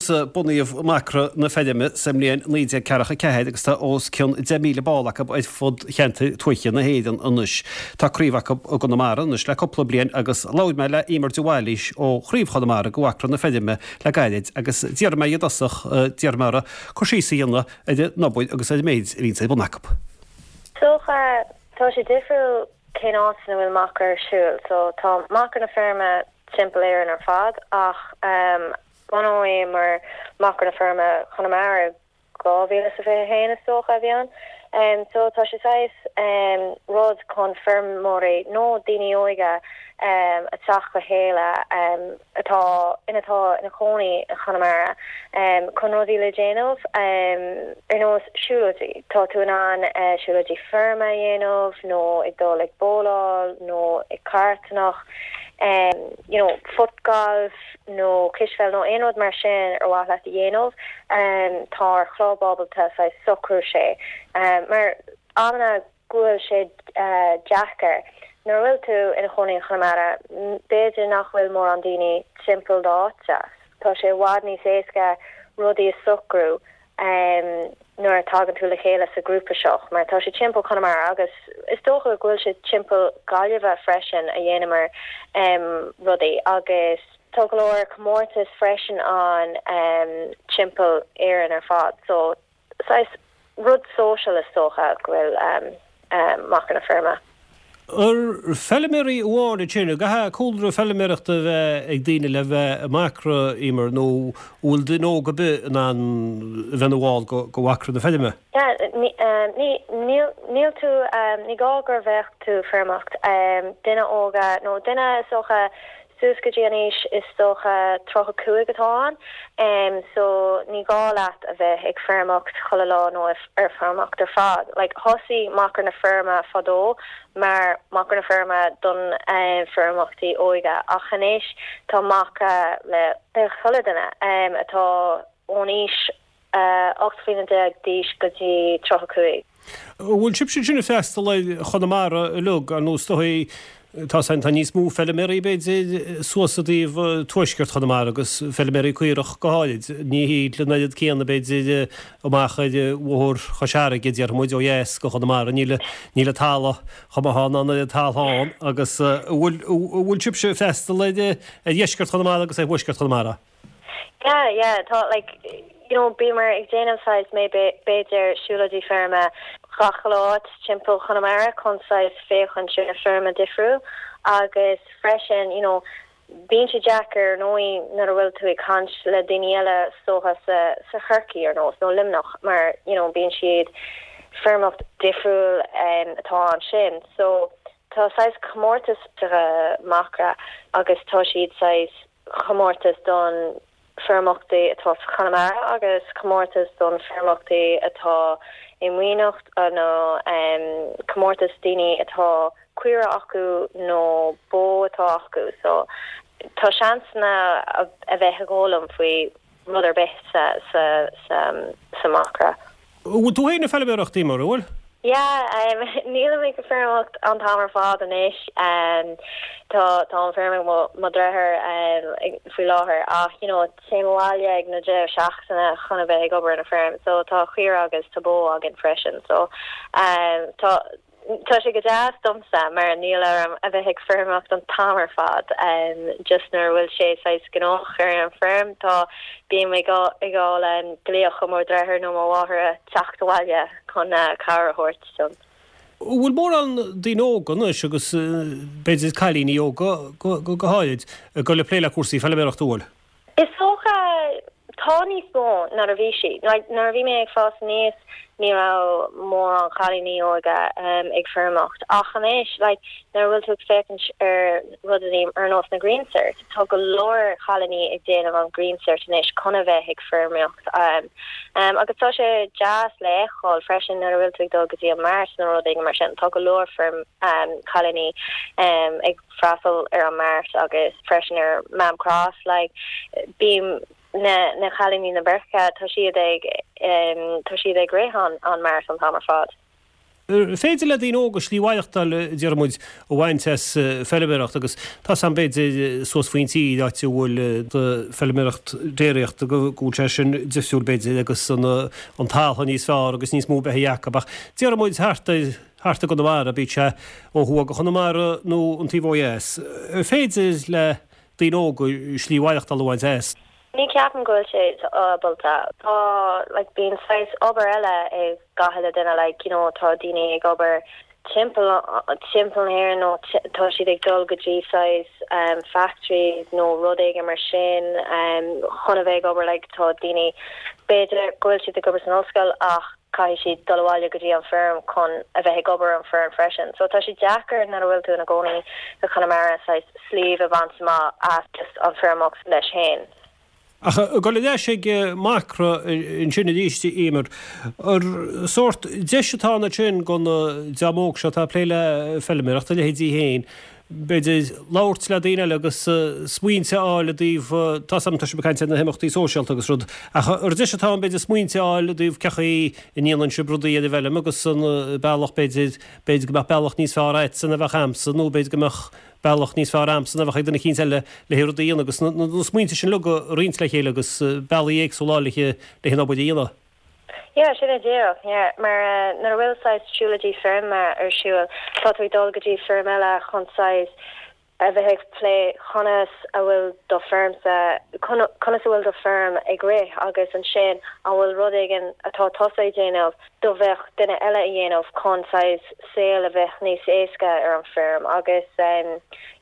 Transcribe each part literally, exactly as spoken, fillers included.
Bunaíodh Macra na Feirme sa mbliain naoi déag ceathracha ceathair agus tá os cionn deich míle ball acu ar fud cheantar tuaithe na hÉireann anois. Tá craobh acu i gConamara anois le cúpla bliain agus labhair mé le Emer de Bhailís ó chraobh Chonamara de Mhacra na Feirme le gairid agus d'iarr mé i dtosach d'iarr mé uirthi cur síos a dhéanamh ar an obair agus ar an méid a bhíonn ar bun acu. Dócha tá sé difriúil cén áit ina bhfuil Macra ar siúl, so tá Macra na Feirme timpeall Éireann ar fad ach um, bunaíodh mar Macra na Feirme Chonamara dhá mhíle sa fiche haon is dócha a bhí ann. Um, so tá sé saghas um, rud chun feirmeoirí nó daoine óga um, a teacht le chéile um, atá ina atá ina cónaí i Chonamara um, chun rudaí le déanamh um, ar nós siúlóidí. Tá tú in ann uh, siúlóidí feirme a dhéanamh nó ag dul ag bóláil nó ag cartanacht. Um, you know, foot golf nó cispheil nó aon rud mar sin ar mhaith leat a dhéanamh um, tá ar chlub ábalta saghas socrú sé um, mar amanna go bhfuil sé uh, deacair nuair bhfuil tú ina chónaí in Chonamara b'fhéidir nach bhfuil mórán daoine timpeall d'áite Tá sé i bhfad níos éasca rudaí a socrú um, nuair a tagann tú le chéile sa grúpa seo, mar tá sé timpeall Chonamara agus is dócha go bhfuil sé timpeall Gaillimhe freisin a dhéanamar um, rudaí agus tá go leor comórtas freisin an um, timpeall Éireann ar fad so saghas rud social is dócha go bhfuil um, um, Macra na Feirme. Ar feilméaraí amháin sin, caithfidh cúlra feilméarachta bheith ag daoine le bheith Macra Emer nó bhfuil duine óg ar bith in ann bheith ina bhall de Mhacra na Feirme? Níl tú ní gá gur bheith tú feirmeoireacht duine óga nó duine is dócha suas go dtí an aois is dócha tríocha cúig atá ann um, so ní gá leat a bheith ag feirmeoireacht chuile lá nó ar feirmeoireacht ar fad. Like, thosaigh Macra na Feirme fadó mar Macra na Feirme don um, feirmeoirí óga ach anois tá Macra le chuile duine um, atá ón aois uh, ocht mbliana déag d'aois go dtí tríocha cúig. Bhfuil sibh sin ag freastal ar Chonamara uilig an nós tá tá níos mó feilméaraí b'fhéidir suas i dtaobh tuaisceart Chonamara agus feilméaraí caorach go háirid. Ní hí le na céanna b'fhéidir amach ar bhóthar Chois Fharraige déarfaidh muid ó dheas go Chonamara níl níl talamh chomh maith ná an talamh agus bhfuil sibh ag freastal ar dheisceart Chonamara agus ar thuaisceart Chonamara. Yeah, yeah, tá like you know bímar ag déanamh saghas mé b'fhéidir siúlóidí feirme gach lá timpeall Chonamara chun saghas féachaint ar feirme difriúil agus freisin you know bíonn sé deacair nó nuair a bhfuil tú ag caint le daoine eile socha sa sa Chorcaí ar nós nó Luimneach mar you know bíonn siad feirmeoireacht difriúil um, atá ansin so tá saghas comórtas Macra agus tá siad saghas comórtas don feirmeoirí atá Chonamara agus comórtas don feirmeoirí atá i Muimhneach nó um, comórtas daoine atá caora acu nó bó atá acu so tá seansanna a, a bheith ag foghlaim faoi rud ar bith sa sa sa, sa Macra. Bhfuil tú féin ag feilméarachtaí mar bhfuil? Yeah, um, níl mé ag feirmeoireacht an t-am ar fad anois um, tá tá an feirm mo dheartháir um, faoi láthair ach you know, téim abhaile ag na deireadh seachtaine chun a bheith ag obair na feirm, so tá caora agus tá bó againn freisin so um, tá Tá sé go deas domsa mar níl orm a bheith ag feirmeoireacht an t-am ar fad um, just nuair bhfuil sé saghas gnóthach ar an feirm tá bím ag ag fáil an glaoch ó mo dheartháir nó mo mháthair teacht abhaile chun uh, cabhair a thabhairt dom. Bhfuil mórán daoine óga anois agus b'fhéidir cailíní óga go go háirid go le plé le cúrsaí feilméarachta bhfuil. Is dócha tá níos mó ná a bhí sí. Nuair a bhí mé ag fás aníos ní raibh mórán cailíní óga um, ag feirmeoireacht. Ach anois like, nuair bhfuil tú féachaint ar rudaí ar nós na Green Cert, tá go leor cailíní ag déanamh an Green Cert anois chun a bheith ag feirmeoireacht. Um, um, agus tá sé deas le feiceáil freisin nuair bhfuil tú ag dul go dtí an mart nó rudaí mar sin tá go leor feirm um, cailíní um, ag freastal ar an mart agus freisin ar Mam Cross like, bím na na cailíní na beirce tá siad ag um, tá siad ag rith an an mart an t-am ar fad. Ar féidir le daoine óga slí mhaireachtáil, deir muid, a bhaint as feilméaracht agus tá 's a'm b'fhéidir suas faoin tír áit a bhfuil feilméaracht déiríochta go bhfuil sé sin difriúil b'fhéidir agus an an talamh níos fearr agus níos mó beithígh acu ach deir muid thart ar thart i gConamara bíodh sé ó thuaidh go Chonamara nó an taobh ó dheas. Ar féidir le daoine óga slí mhaireachtáil a bhaint as? Ní ceapaim go bhfuil sé ábalta. Tá like bíonn saghas obair eile ag gach uile duine like you know tá daoine ag obair timpeall timpeall na hÉireann nó tá siad ag dul go dtí saghas um factories nó rud éigin mar sin um chun a bheith ag obair like tá daoine b'fhéidir go bhfuil siad ag obair san ollscoil ach caithfidh siad dul abhaile go dtí an feirm chun a bheith ag obair an feirm freisin. So tá sé deacair nuair a bhfuil tú ina gcónaí i Conamara saghas slí a bhaint amach as just an feirmeoireacht leis féin. Ach ag dul ar ais ag Macra ansin arís, Eimear, ar sórt deis atá ann ansin don dream óg seo atá ag plé le feilméaracht, a leithéidí féin, b'fhéidir labhairt le daoine eile agus smaointe a fháil i dtaobh, tá 's a'm tá sibh ag caint ar na himeachtaí sóisialta agus rud, ach ar deis atá ann b'fhéidir smaointe a fháil i dtaobh cén chaoi a ndéanann sibh rudaí ar an bhfeilm agus an bealach b'fhéidir, b'fhéidir go mbeadh bealach níos fearr agatsa ná a bheadh a'msa nó b'fhéidir go mbeadh bealach níos fearr a'msa ná a bheadh ag duine eicínt eile le rudaí a dhéanamh agus na smaointe sin uilig a roinnt le chéile agus bealaí éagsúla a fháil le an obair a dhéanamh. Yeah, sin é díreach, yeah. Mar uh, nuair a bhfuil saghas siúlóidí feirme ar siúl, tá tú ag dul go dtí feirm eile chun saghas a bheith ag plé conas a bhfuil do feirmsa conas a bhfuil do feirm ag rith agus ansin an bhfuil rud éigin atá tusa ag déanamh do bheadh duine eile a dhéanamh chun saghas saol a bheith níos éasca ar an feirm agus um,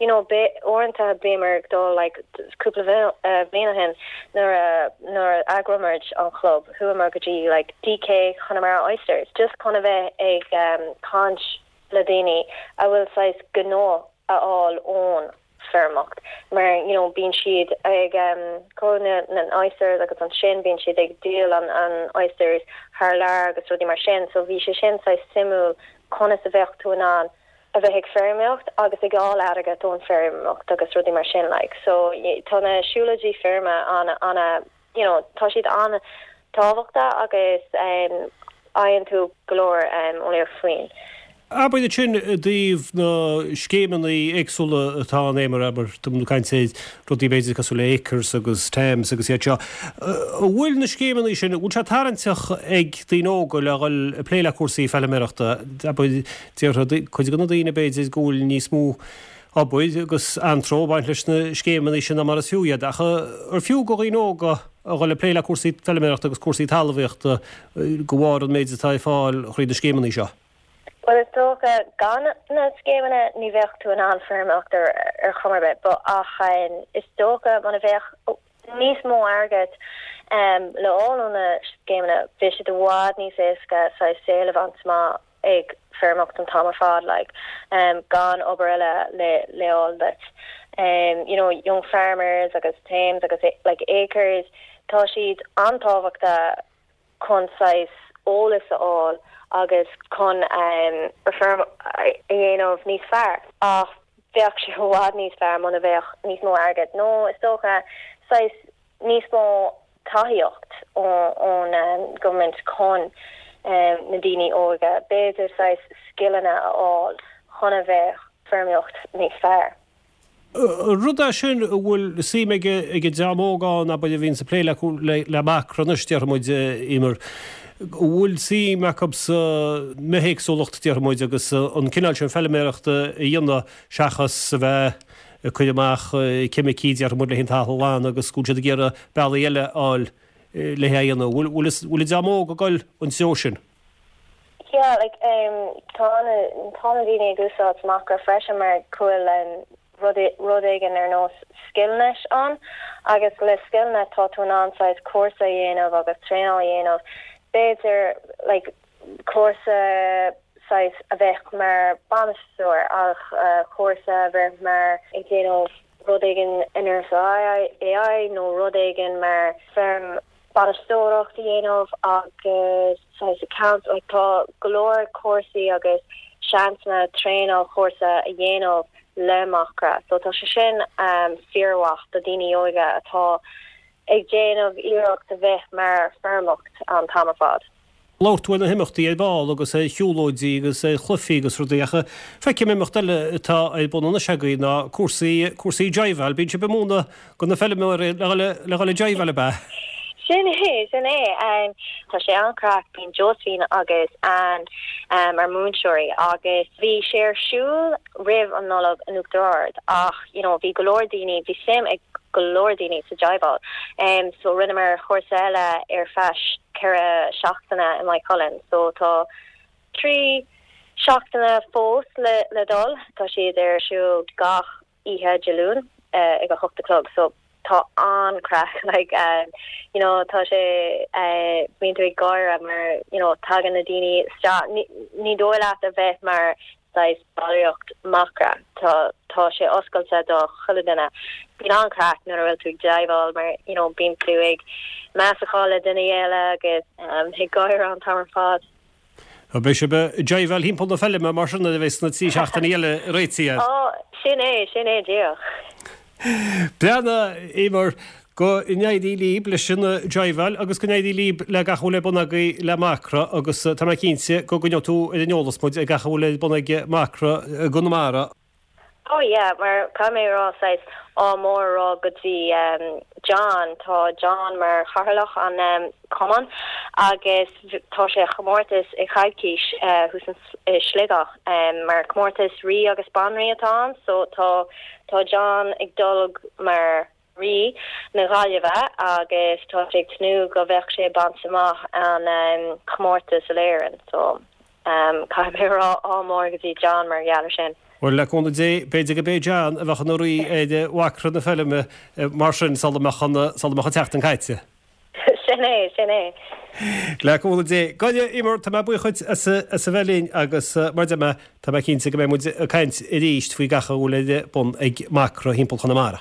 you know be uaireanta bhíomar ag dul like cúpla uh, bliain ó shin nuair a nuair a eagraíomar an club chuamar go dtí like DK Connemara Oysters just chun a bheith ag um, caint le daoine a bhfuil saghas gnó a fháil ón feirmeoireacht mar you know bíonn siad ag um na na oysters agus ansin bíonn siad ag díol an an oysters thar lear agus rudaí mar sin so bhí sé sin saghas suimiúil conas a bheadh tú in ann a bheith ag feirmeoireacht agus ag fháil airgead ón feirmeoireacht agus rudaí mar sin like so tá na siúlóidí feirme an an you know tá siad an tábhachtach agus um faigheann tú go leor um eolaíocht faoin. Abair ansin i dtaobh na scéimeanna éagsúla atá ann Eimear abair tá muid ag caint ar rudaí b'fhéidir cosúil le Acres agus TAMS agus iad seo. An bhfuil na scéimeanna sin, bhfuil sé tarraingteach ag daoine óga le dhul ag plé le cúrsaí feilméarachta? Abair déarfadh cuid de na daoine b'fhéidir go bhfuil níos mó obair agus anró ag baint leis na scéimeanna sin ná mar is fiú iad. Ach ar fiú do dhaoine óga a dhul ag plé le cúrsaí feilméarachta agus cúrsaí talmhaíochta de bharr an méid atá ar fáil thríd na scéimeanna seo? Well is dócha gan na scéimeanna ní bheadh tú in ann feirmeoireacht ar ar chuma ar bith, but ach um, is dócha muna bheadh níos mó airgead um, le fháil ó na scéimeanna bheadh sé i bhfad níos éasca saghas saol a bhaint amach ag feirmeoireacht an t-am ar fad like um, gan obair eile le le fháil duit. Um, you know, young farmers agus TAMES agus like acres tá siad an-tábhachtach chun saghas eolas a fháil agus chun um, feirm a dhéanamh níos fearr ach bheadh sé i bhfad níos fearr muna bheadh níos mó airgead nó is dócha saghas níos mó tacaíocht ón um, government chun um, na daoine óga b'fhéidir saghas scileanna a fháil chun a bheith feirmeoireacht níos fearr. Rud é sin a bhfuil suim ag ag an dream óg ann abair a bhíonn ag plé le le Macra anois déarfaidh muid Eimear. bhfuil suim acu sa mbithéagsúlacht déarfaidh muid agus an cineál sin feilméarachta a dhéanamh seachas a bheith ag cur amach ceimicí déarfaidh muid le an talamh a ghlanadh agus go bhfuil siad ag iarraidh bealaí eile a fháil le é a dhéanamh. Bhfuil an dream óg ag dul an treo sin? Yeah, like um tá na tá na daoine ag úsáid Macra freisin mar go bhfuil um, rud rud éigin ar nós Skillnet ann agus le Skillnet tá tú in ann saghas cúrsa a dhéanamh agus traenáil a dhéanamh b'fhéidir like cúrsa saghas a bheith mar bainisteoir ach uh, cúrsa a bheith mar ag déanamh rud éigin in AI nó rud éigin mar feirm bainisteoireacht a dhéanamh agus saghas account like tá go leor cúrsaí agus seansanna traenáil cúrsa a dhéanamh le Macra. So tá sé sin um, fíormhaith do daoine óga atá ag déanamh iarracht a bheith mar feirmeoireacht an t-am ar fad. Labhair tú ar na himeachtaí ar ball agus ar shiúlóidí agus ar chluichí agus rudaí ach feicim imeacht eile atá ar bun anois agaibh ná cúrsaí, cúrsaí jiveáil. Bíonn sibh ag múineadh do na feilméaraí le dhul, le dhul ag jiveáil ab ea? Sin é, sin é. Tá sé an-chraic, bíonn Josephine agus Anne mar múinteoirí agus bhí sé ar siúl roimh an Nollaig in Uachtar Ard ach you know bhí go leor daoine, bhí suim ag go leor daoine sa jiveáil. So rinneamar cúrsa eile ar feadh ceithre seachtaine i Maigh Cuilinn. So tá trí seachtaine fós le le dul. Tá siad ar siúl gach oíche Dé Luain ag a hocht a chlog. So tá an-craic like um, you know tá sé uh, bíonn tú ag gáire mar you know tagann na daoine isteach ní, ní dóigh leat a bheith mar saghas ballraíocht Macra tá tá sé oscailte do chuile duine. Bíonn an-craic nuair a bhfuil tú ag jiveáil mar you know bíonn tú ag meascadh le duine eile agus um, ag gáire an t-am ar fad. Beidh sibh ag jiveáil thimpeall na feilme mar sin a bheas na trí seachtaine eile réitithe. Ó sin é sin é díreach. Breathnaigh Emer go n-éirí libh leis an jiveáil agus go n-éirí libh le gach a bhfuil ar bun agaibh le Macra agus tá mé cinnte go gcoinneoidh tú ar an eolas muid ag gach a bhfuil ar bun ag Macra i gConamara. Oh yeah, mar caithfidh mé rá saghas ádh mór a rá go dtí um, John tá John mar chathaoirleach an um, cumann agus tá sé chomórtas i coicís uh, thuas i Sligeach um, mar comórtas rí agus banríon atá ann, so tá tá John ag dul mar rí na Gaillimhe agus tá sé ag tnúth go bheadh sé baint amach an um, comórtas in Éirinn so um, caithfidh mé rá ádh mór go dtí John mar gheall air sin. Well le cúnamh Dé b'fhéidir go b'é John a bheadh ina rí ar Mhacra na Feilme mar sin sula mbeadh an sula mbeadh an tseachtain caite. Sin é sin é. Le cúnamh Dé Go Emer tá mé buíoch duit as as a bheith linn agus mar de tá mé cinnte go mbeidh muid ag caint arís faoi gach a bhfuil ar bun ag Macra thimpeall Chonamara.